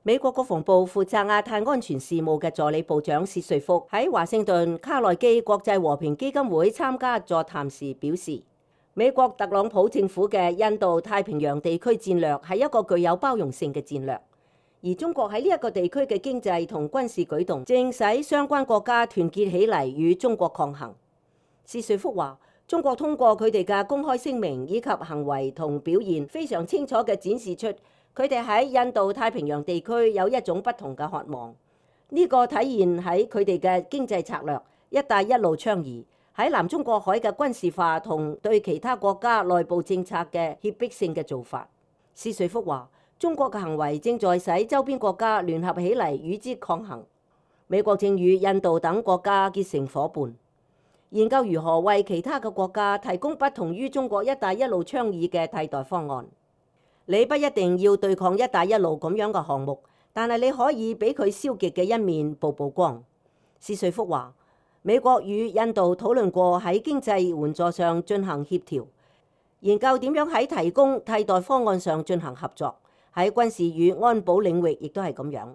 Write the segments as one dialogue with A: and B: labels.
A: 美國國防部負責亞太安全事務嘅助理部長薛瑞福喺華盛頓卡內基國際和平基金會參加座談時表示，美國特朗普政府嘅印度太平洋地區戰略係一個具有包容性嘅戰略，而中國喺呢一個地區嘅經濟同軍事舉動正使相關國家團結起嚟與中國抗衡。薛瑞福話，中國通過佢哋嘅公開聲明以及行為同表現，非常清楚嘅展示出佢哋喺印度太平洋地區有一種不同嘅渴望。呢個體現喺佢哋嘅經濟策略一帶一路倡議，喺南中國海嘅軍事化同對其他國家內部政策嘅脅迫性嘅做法。薛瑞福話，中國嘅行為正在使周邊國家聯合起嚟與之抗衡。美國正與印度等國家結成夥伴，研究如何為其他嘅國家提供不同於中國一帶一路倡議嘅替代方案。你不一定要對抗一帶一路咁樣嘅項目，但係你可以俾佢消極嘅一面曝光。薛瑞福話，美國與印度討論過喺經濟援助上進行協調，研究點樣喺提供替代方案上進行合作。喺軍事與安保領域亦都係咁樣。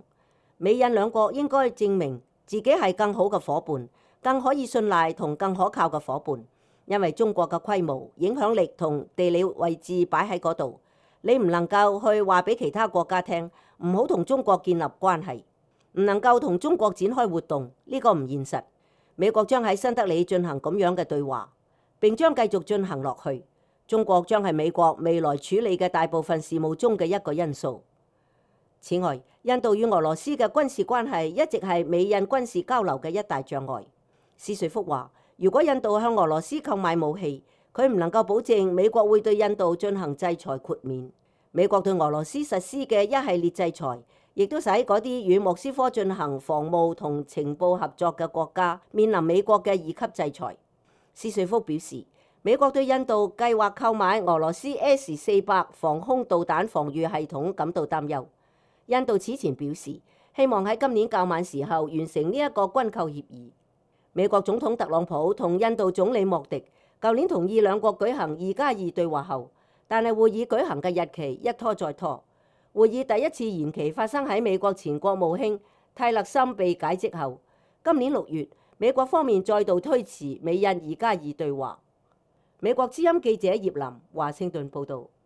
A: 美印兩國應該證明自己係更好嘅夥伴，更可以信賴同更可靠嘅夥伴，因為中國嘅規模、影響力同地理位置擺喺嗰度。你唔能夠去話俾其他國家聽，唔好同中國建立關係，唔能夠同中國展開活動，呢個唔現實。美國將喺新德里進行咁樣嘅對話，並將繼續進行落去。中國將係美國未來處理嘅大部分事務中嘅一個因素。此外，印度與俄羅斯嘅軍事關係一直係美印軍事交流嘅一大障礙。薛瑞福話，如果印度向俄羅斯購買武器，佢唔能夠保證美國會對印度進行制裁豁免。美國對俄羅斯實施嘅一系列制裁，亦都使嗰啲與莫斯科進行防務同情報合作嘅國家面臨美國嘅二級制裁。薛瑞福表示，美國對印度計劃購買俄羅斯 S-400防空導彈防禦系統感到擔憂。印度此前表示，希望喺今年較晚時候完成呢一個軍購協議。美國總統特朗普同印度總理莫迪舊年同意兩國舉行2+2對話後，但係會議舉行嘅日期一拖再拖。會議第一次延期發生喺美國前國務卿泰勒森被解職後。今年6月，美國方面再度推遲美印2+2對話。美國之音記者葉林華盛頓報導。